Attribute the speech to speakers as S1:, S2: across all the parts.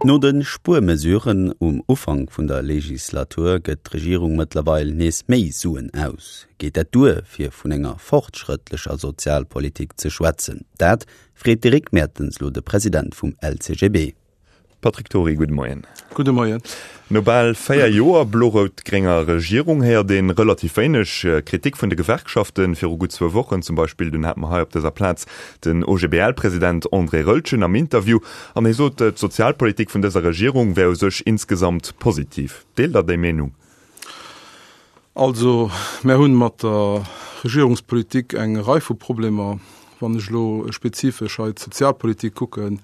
S1: No de Spuermesuren um Ufank vun der Legislatur gëtt d'Regierung mëttlerweil nees méi Suen aus. Geet dat duer, fir vun enger fortschrëttlecher Sozialpolitik ze schwätzen? Dat freet d'Eric Mertens lo de President vum LCGB.
S2: Patrick Dury, gudde Moien.
S3: Gudde Moien.
S2: No bal 4 Joer blo-rout-grénger Regierung héiert ee relativ wéineg Kritik vun de Gewerkschaften. Viru gutt zwou Wochen zum Beispill, dunn hate mer hei op dëser Plaz den OGBL-President André Roeltgen am Interview an hie sot, d'Sozialpolitik vun dëser Regierung wär u sech insgesamt positiv. Deelt Der déi Meenung?
S3: Also, mär hunn mat der Regierungspolitik eng Rei vu Problemer. Wann ech elo spezifesch hei d'Sozialpolitik kucken,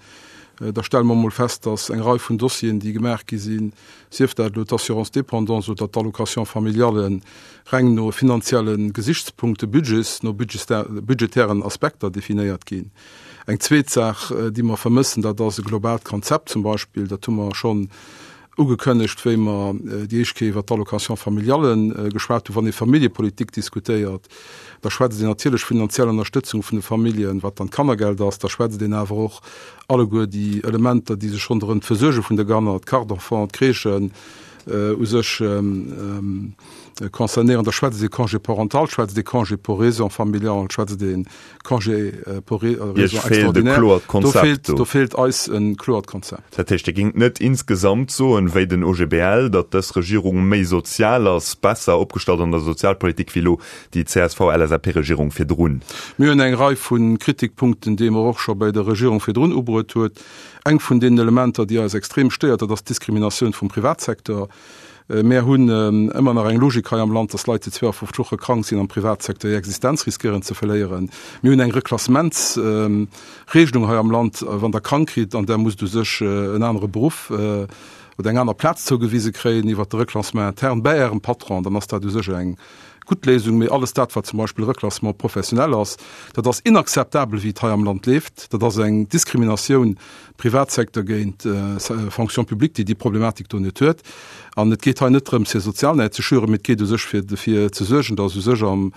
S3: da stelle mer emol fest, dass eng Rei vun Dossieren, déi gemaach gi sinn, sief dat elo d'Assurance dépendance oder d'Allocation familiale, reng no finanzielle Gesichtspunkte, Budgets, no budgetären Aspekter definéiert ginn. Eng zweet Saach, déi mer vermëssen, dat ass e globaalt Konzept zum Beispill. Dat hu mer schonn Ugekënnegt, wéi mer déi éischt Kéier iwwert d'Allocation familiale geschwat hunn. Wann ee Familljepolitik diskutéiert, da schwätzt een natierlech finanziell Ënnerstëtzung vun de Familljen, wat dann d'Kannergeld ass. Da schwätzt een awer och alleguer déi Elementer, déi sech ronderëm d'Versuerge vun de Kanner, d'Carte d'enfant, d'Crèchen u sech concernéieren. Da schwätzt ee Congé parental, schwätzt ee Congé pour raisons familiales, schwätzt ee Congé pour raisons extraordinaires. Do feelt, do feelt eis e kloert Konzept.
S2: Dat heescht, Dir géingt net insgesamt soen, wéi den OGBL, datt dës Regierung méi sozial ass, besser opgestallt an der Sozialpolitik wéi elo déi CSV-LSAP-Regierung virdrun?
S3: Mir hunn eng Rei vu Kritikpunkten, déi mer och scho bei der Regierung virdrun ubruet huet. Eng vun deenen Elementer, déi eis extrem stéiert, dat ass d'Diskriminatioun vum Privatsecteur. Mär hunn ëmmer nach eng Logik hei am Land, dass Leit, déi 52 Woche krank sinn, am Privatsecteur hir Existenz riskéieren ze verléieren. Mir hunn eng Reklassementsregelung hei am Land, wann Der krank kritt an Der musst u sech en anere Beruff oder eng aner Plaz zougewise kréien iwwert de Reclassement interne bäi Ärem Patron, dann ass dat u sech eng gutt Léisung. Mee alles dat, wat zum Beispill Reclassement professionnel ass, dat ass inakzeptabel, wéi et hei am Land leeft. Dat ass eng Diskriminatioun Privatsecteur géint Fonction publique, déi déi Problematik do net huet. An et geet hei net drëms, fir Sozialnäid ze schüren, mee et geet u sech fir dofir ze suergen, datt u sech am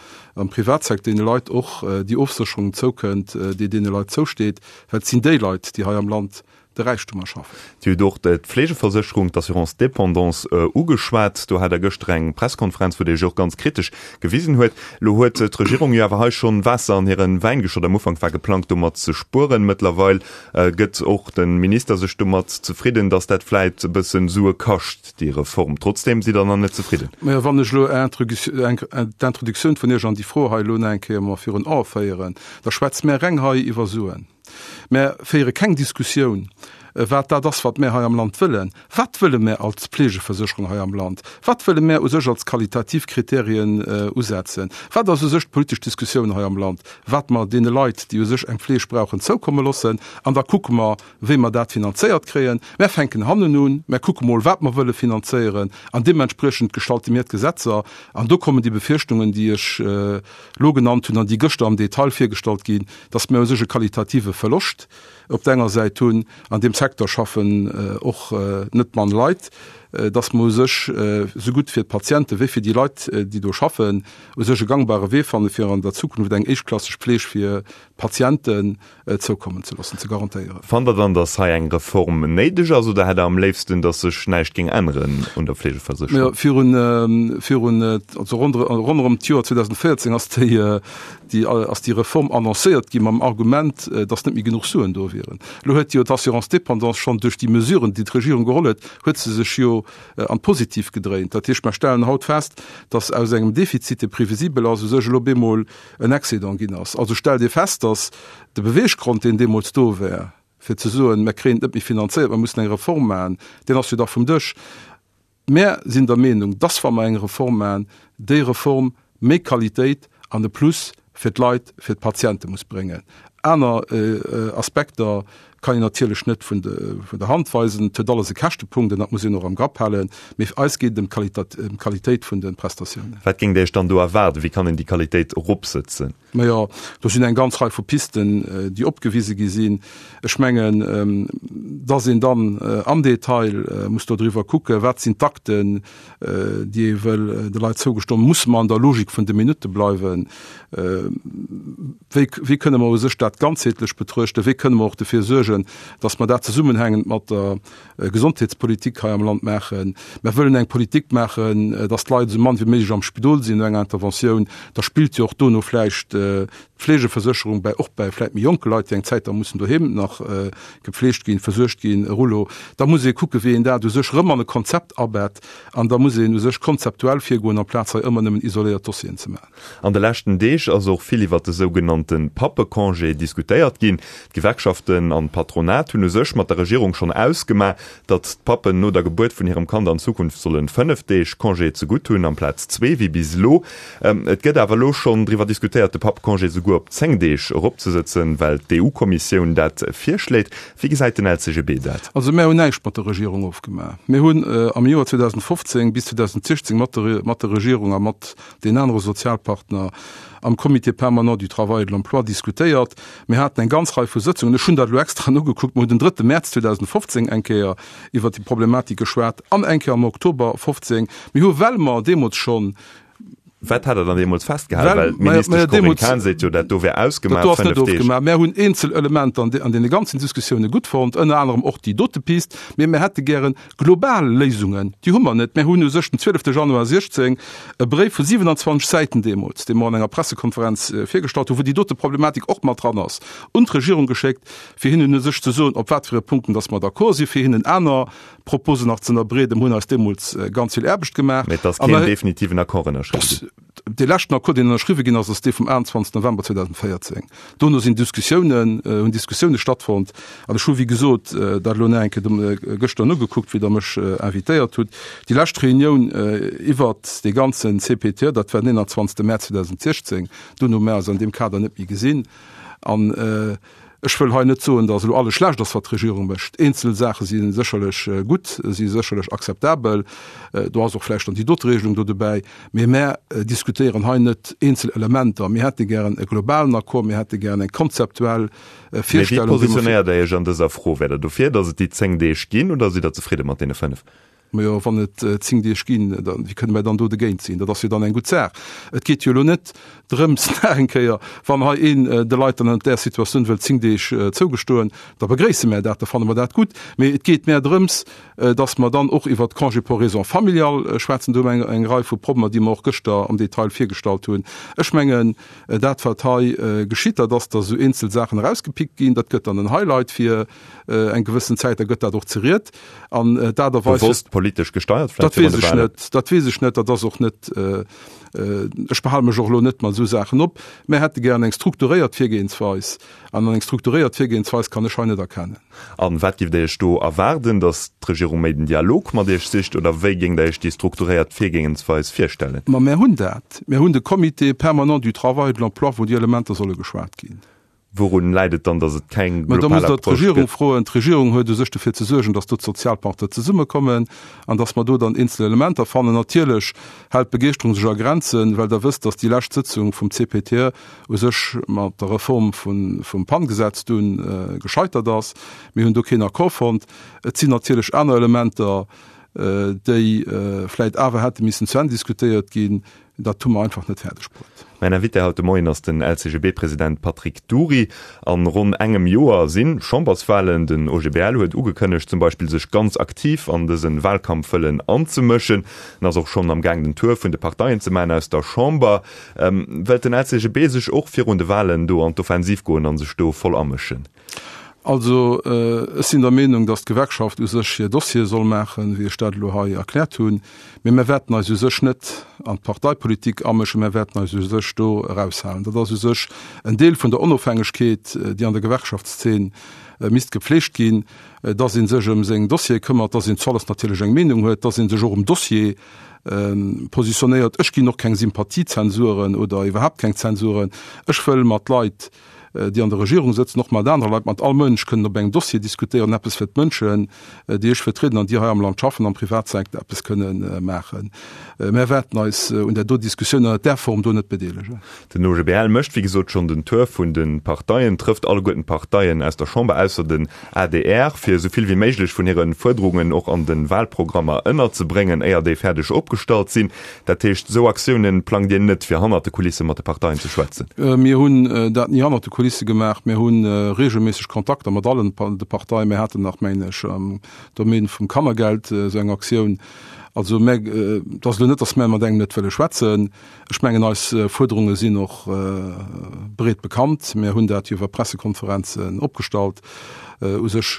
S3: Privatsecteur deene Leit och déi Ofsécherung zoukënnt, déi deene Leit zousteet, well et sinn déi Leit, déi hei am Land de Räichtum erschaffen.
S2: Dir hutt och d'Fleegeversécherung, d'Assurance dépendance, ugeschwat. Do hat Der gëschter eng Presskonferenz, wou Dir Iech och ganz kritesch gewisen huet. Elo huet d'Regierung jo awer hei schonn Waasser an hire Wäin geschott. Am Ufank war geplangt, domat ze spueren. Mëttlerweil Gëtt och de Minister sech domat zefridden, datt dat vläit e bëssen Sue kascht, déi Reform? Trotzdeem sidd Der nach net zefridden?
S3: Mä wann ech elo d'Introduktioun vun Iech an déi Fro hei elo nach eng Kéier mer virun Ae féieren, da schwätze mär reng hei iwwer Suen. Mär féiere keng Diskussioun, wat dat ass, wat mär hei am Land wëllen. Wat wëlle mär als Pflegeversécherung hei am Land? Wat wëlle mär u sech als qualitativ Kriterien usetzen? Wat ass u sech d'politesch Diskussioun hei am Land, wat mer deene Leit, déi u sech eng Fleeg brauchen, zoukomme loossen? An da kucke mer, wéi mer dat finanzéiert kréien. Mär fänken hannen un, mär kucke mol, wat mer wëlle finanzéieren, an deementspriechend gestalte mir d'Gesetzer. An do kommen déi Befürchtungen, déi ech elo genannt hunn an déi gëschter am Detail virgestallt ginn, dass mir u sech e qualitative Verloscht op der enger Säit hunn, an deem Secteur schaffen och net mann Leit, dass mer u sech esou gutt fir d'Patiente wéi fir déi Leit, déi do schaffen, u sech e gangbare Wee fannen, fir an der Zukunft eng éischtklasseg Pfleg fir d'Patienten zoukommen ze loossen, ze garantéieren.
S2: Fannt Der dann, dass hei eng Reform néideg ass oder hätt Der am léifsten, dass sech näischt géing änneren un der Fleegeversécherung?
S3: Virun, virun, also ronderëm d'Joer 2014 ass déi, déi ass déi Reform annoncéiert gi mam Argument, datt net méi genuch Suen do wieren. Elo huet jo d'Assurance dépendance schonn duerch déi Mesuren, déi d'Regierung geholl huet, huet se sech jo an d'Positiv gedréint. Dat heescht, mer stellen haut fest, datt aus engem Defizit, dee previsibel ass, u sech elo bemol en Excédent ginn ass. Also stellt ee fest, datt de Beweeggrond, deen deemools do war, fir ze soen, mer kréien et net méi finanzéiert, mer mussen eng Reform maachen, deen ass jo da vum Dësch. Mär sinn der Meenung, dass, wa mer eng Reform maachen, déi Reform méi Qualitéit an e Plus fir d'Leit, fir d'Patiente muss bréngen. Aner Aspekter kann een natierlech net vun der Hand weisen. Et huet alles e Käschtepunkt an dat muss een och am Grapp halen. Mee eis geet et ëm d'Qualitéit vun de Prestatiounen.
S2: Wat géingt Dir Iech dann do erwaarden? Wéi kann een déi Qualitéit eropsëtzen?
S3: Majo, do sinn eng ganz Rei vu Pisten, déi opgewise gi sinn. Ech mengen, dass een dann am Detail muss dodriwwer kucken, wat sinn d'Akten, déi ee wëll de Leit zougestoen. Musse mer an der Logik vun de Minutte bleiwen? Wéi, wéi kënne mer u sech dat ganzheetlech betruechten? Wéi kënne mer och dofir suergen? suergen, dass mer dat zesummenhängend mat der Gesondheetspolitik hei am Land maachen. Mer wëllen eng Politik maachen, dass d'Leit esou mann wéi méiglech am Spidol sinn no enger Interventioun. Da spillt jo och dono vläicht d'Fleegeversécherung bäi, och bäi vläicht méi jonke Leit, déi eng Zäit da mussen doheem nach gepfleegt ginn, versuergt ginn, e Rouleau. Da muss ee kucken, wéi een dat u sech erëm an e Konzept abett. An da muss een u sech konzeptuell virgoen, amplaz hei ëmmer nëmmen isoléiert Dossieren ze maachen.
S2: An de leschten Deeg ass och vill iwwert de sougenannte Pappecongé diskutéiert ginn. D'Gewerkschaften an d'Patronat hunn u sech mat der Regierung schonn ausgemaach, datt d'Pappen no der Gebuert vun hirem Kand an Zukunft sollen 5 Deeg Congé zegutt hunn, amplaz zwee wéi bis elo. Et gëtt awer elo schonn driwwer diskutéiert, de Pappecongé souguer op 10 Deeg eropzesëtzen, well d'EU-Kommissioun dat virschléit. Wéi gesäit den LCGB dat?
S3: Also mär hunn näischt mat der Regierung ofgemaach. Mir hunn am Joer 2015 bis 2016 mat der Regierung a mat den anere Sozialpartner am Comité permanent du travail et de l'emploi diskutéiert. Mir haten eng ganz Rei vu Sëtzungen, ech hunn dat elo extra nogekuckt, mir hunn den drëtte Mäerz 2015 eng Kéier iwwert déi Problematik geschwat an eng Kéier am Oktober 15. Mir hu well mer deemools schonn
S2: Wat hat Der dann deemools festgehalen? Well d'Ministesch Corinne Cahen seet jo, dat do wär ausgemaach,
S3: Dat do ass net ofgemaach. Mär hunn eenzel Elementer an deene ganzen Diskussioune gutt fonnt, ënner anerem och déi dote Pist, mee mir hätte gären Global Léisungen, déi hu mer net. Mir hunn u sech den 12 Januar 16 e Bréif vu 27 Säiten deemools, dee mer an enger Pressekonferenz virgestallt hunn, wou déi dote Problematik och mat dran ass, un d'Regierung geschéckt, fir hinnen u sech ze soen, op wat fir e Punkten dass mer d'accord sinn, fir hinnen aner Proposen nach ze ënnerbreeden. Mir hunn eis deemools ganz vill Aarbecht gemaach.
S2: Mä et ass keen definitiven Accord ënnerschriwwen ginn.
S3: Dee leschten Accord, deen ënnerschriwwe ginn ass, ass dee vum 28 November 2014. Dono sinn Diskussiounen, hunn Diskussioune stattfonnt. An ech hu wéi gesot dat elo nach eng Kéier gëschter nogekuckt, wéi Der mech invitéiert hutt. Déi lescht Reunioun iwwert dee ganzen CPTE, dat war den 21 Mäerz 2016. Dono hu mir eis an deem Kader net méi gesinn. An ech wëll hei net soen, datt elo alles schlecht ass, wat d'Regierung mécht. Eenzel Saache si sécherlech gutt, si sécherlech akzeptabel. Do ass och vläicht dann déi dote Regelung do dobäi. Mee mär diskutéieren hei net eenzel Elementer. Mir hätte gären e globalen Accord, mir hätte gären eng konzeptuell
S2: Virstellung. Mee wéi positionéiert Der Iech an dëser Fro? Wäert Der dofir, datt et déi 10 Deeg ginn oder sidd Der zefridde mat deene 5?
S3: Majo, wann et 10 Deeg ginn, da wéi kënne mer dann do dogéint sinn? Dat ass jo dann eng gutt Saach. Et geet jo elo net drëms, nach eng Kéier, wann hei een de Leit dann an där Situatioun wëllt 10 Deeg zougestoen, da begréisse mär dat, da fanne mer dat gutt. Mee et geet mär drëms, dass mer dann och iwwert d'Congé pour raisons familiales schwätzen. Do hu mer eng Rei vu Problemer, déi mer och gëschter am Detail virgestallt hunn. Ech mengen, dat wat hei geschitt, dat ass, dass esou eenzel Saachen erausgepickt ginn. Dat gëtt dann en Highlight fir eng gewëssen Zäit, da gëtt dat och zeriet. An d'Aart a
S2: Weis. Bewosst politesch gesteiert
S3: vläicht virun de Wahlen? Dat weess ech net. Dat ass och net, ech behale mech och elo net mat esou Saachen op. Mär hätte gären eng strukturéiert Virgehensweis. An eng strukturéiert Virgehensweis kann ech hei net erkennen.
S2: A wat giff Der Iech do erwaarden? Datt d'Regierung méi den Dialog mat Iech sicht oder wéi géingt Der Iech déi strukturéiert Virgehensweis virstellen?
S3: Ma mär hunn dat. Mär hunn de Comité permanent du travail et de l'emploi, wou déi Elementer solle geschwat ginn.
S2: Wourun läit et dann, datt et keng
S3: global Approche gëtt? Mä da musst Der d'Regierung froen. D'Regierung huet u sech dofir ze suergen, datt do d'Sozialpartner zesummekommen an datt mer do dann eenzel Elementer fannen. Natierlech hält d'Begeeschterung sech a Grenzen, well Der wësst, datt déi lescht Sëtzung vum CPTE u sech mat der Reform vum PAN-Gesetz dunn gescheitert ass. Mir hunn do keen Accord fonnt. Et sinn natierlech aner Elementer, déi vläicht awer hätte missen zu Enn diskutéiert ginn. Dat hu mer einfach net fäerdeg bruet.
S2: Mäin Invité haut de Moien ass den LCGB-President Patrick Dury. An ronn engem Joer si Chamberswalen. Den OGBL huet ugekënnegt, zum Beispill sech ganz aktiv an dëse Walkampf wëllen anzemëschen. En ass och schonn am Gaang den Tour vun de Parteien ze maachen aus der Chamber. Wëllt den LCGB sech och virun de Walen do an d'Offensiv goen a sech do voll amëschen?
S3: Also, ech sinn der Meenung, datt d'Gewerkschaft u sech hir Dossiere soll maachen, wéi ech dat elo hei erkläert hunn. Mee mir wäerten eis u sech net an d'Parteipolitik amëschen, mir wäerten eis u sech do eraushalen. Dat ass u sech en Deel vun der Onofhängegkeet, déi an der Gewerkschaftszeen misst gepflegt ginn, datt ee sech ëm seng Dossiere këmmert, datt een zu alles natierlech eng Meenung huet, datt ee sech och um Dossier positionéiert. Ech ginn och keng Sympathiezensuren oder iwwerhaapt keng Zensuren. Ech wëll mat Leit, déi an der Regierung sëtzen, och mat anere Leit, mat all Mënsch kënnen op engem Dossier diskutéieren, eppes fir d'Mënschen, déi ech vertrieden an déi hei am Land schaffen, am Privatsecteur eppes kënnen maachen. Mär wäerten eis un där do Diskussioun ënnert där Form do net bedeelegen.
S2: Den OGBL mécht wéi gesot schonn den Tour vun de Parteien, trëfft alleguerten d'Parteien aus der Chamber, ausser den adr, fir esou vill wéi méiglech vun hire Fuerderungen och an de Wahlprogrammer ënnerzebréngen, éier déi fäerdeg opgestallt sinn. Dat heescht, esou Aktiounen plangt Dir net, fir hannert de Kulisse mat de Parteien ze schwätzen?
S3: Mir hunn dat ni hannert de Kulisse. Kulisse gemaach. Mir hu reegelméisseg Kontakter mat allen de Parteien. Mir haten nach, mengen ech, am Domaine vum Kannergeld esou eng Aktioun. Also mär, et ass elo net, datt mär mat engem net wëlle schwätzen. Ech mengen, eis Fuerderunge sinn och breet bekannt. Mir hunn dat jo iwwer Pressekonferenzen opgestallt, u sech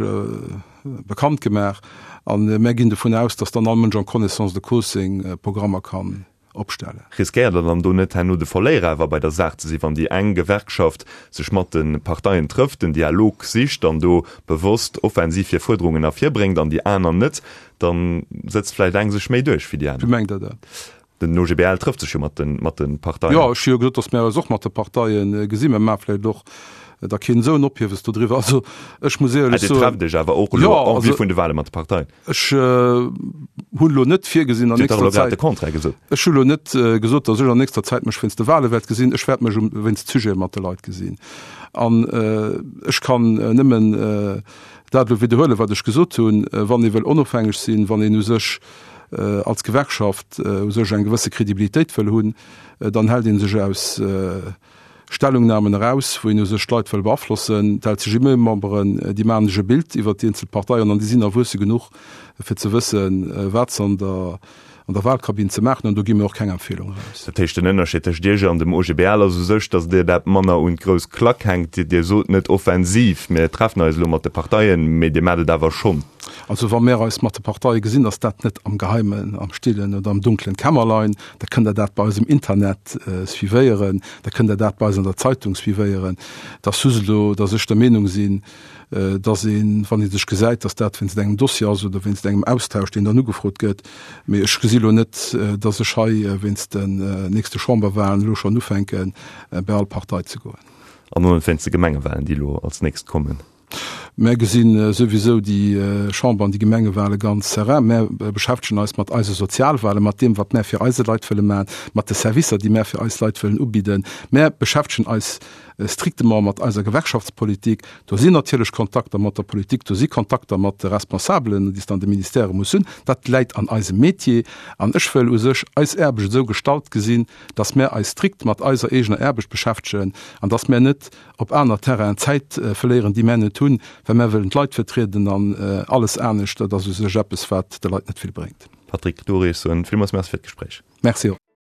S3: bekannt gemaach. A mär ginn dovun aus, datt dann all Mënsch en connaissance de cause seng Programmer kann opstellen.
S2: Riskéiert Der dann do net herno de Verléierer awer bei der Saach ze sinn, wann déi eng Gewerkschaft sech mat de Parteien trëfft, den Dialog sicht an do bewosst offensiv hir Fuerderungen ervirbréngt an déi aner net, da sëtzt vläicht eng sech méi duerch wéi déi aner?
S3: Wéi mengt Der dat?
S2: Den OGBL trëfft sech jo mat de mat de Parteien.
S3: Jo, ech hu jo gesot, datt mär eis och mat de Parteie gesinn. Mir maache vläicht och da keen esou en Ophiewes dodriwwer. Also ech muss éierlech
S2: soen. Dir trefft Iech awer och elo en vue vun de Wale mat de Parteien.
S3: Ech hunn elo net virgesinn an nächster Zäit.
S2: De Contraire gesot.
S3: Ech hu lo net gesot, datt ech an nächster Zäit mech wéinst de Wale wäert gesinn. Ech wäert mech um wéinst Sujete mat de Leit gesinn. An ech kann nëmmen dat elo widderhuelen, wat ech gesot hunn, Wann ee wëll onofhängeg sinn, wann een u sech als Gewerkschaft u sech eng gewësse Kredibilitéit wëll hunn, dann hält ee sech aus Stellungnahmen eraus, wou een u sech d'Leit wëll beaflossen. D'LCGB-Memberen, déi maachen sech e Bild iwwert déi eenzel Parteien an déi sinn erwuesse genuch, fir ze wëssen, wat se an der an der Wahlkabinn ze maachen hunn. An do gi mir och keng Empfehlung eraus.
S2: Dat heescht, den Ënnerscheed tëscht Iech an dem OGBL ass u sech, datt Dir dat manner un d'grouss Klack hänkt. Dir sot net offensiv, mir treffen eis elo mat de Parteien, mee Dir maacht et awer schonn.
S3: Also wa mir eis mat de Parteie gesinn, ass dat net am Geheimen, am Stillen oder am dunklen Kämmerlein. Da kënnt Der dat bei eis um Internet suivéieren, da kënnt Der dat bei eis an der Zeitung suivéieren. Et ass just elo, datt ech der Meenung sinn, datt een, wann ee sech gesäit, datt dat wéinst engem Dossier ass oder wéinst engem Austausch, deen dann ugefrot gëtt. Mee ech gesi elo net, datt ech hei wéinst den nächste Chamberwahlen elo schonn ufänken, bei all Partei ze goen.
S2: An och net wéinst de Gemengewahlen, déi elo als nächst kommen?
S3: Mär gesi souwisou déi Chamber an déi Gemengewale ganz serein. Mär beschäftegen eis mat eise Sozialwale, mat deem, wat mär fir eise Leit wëlle maachen, mat de Servicer, déi mär fir eis Leit wëllen ubidden. Mär beschäftegen eis strictement mat eiser Gewerkschaftspolitik. Do sinn natierlech Kontakter mat der Politik, do si Kontakter mat de Responsabelen, déi s de an de Ministèrë muss hunn. Dat läit an eisem Métier. An ech wëll u sech eis Aarbecht esou gestalt gesinn, dass mär eis strikt mat eiser eegener Aarbecht beschäftegen an dass mär net op aner Terrainen Zäit verléieren, déi mär net hunn, well mär wëllen d'Leit vertrieden an alles anescht, dat ass u sech eppes, wat de Leit net vill bréngt.
S2: Patrick Dury, ech soen villmools Merci fir d'Gespréich.
S3: Merci och.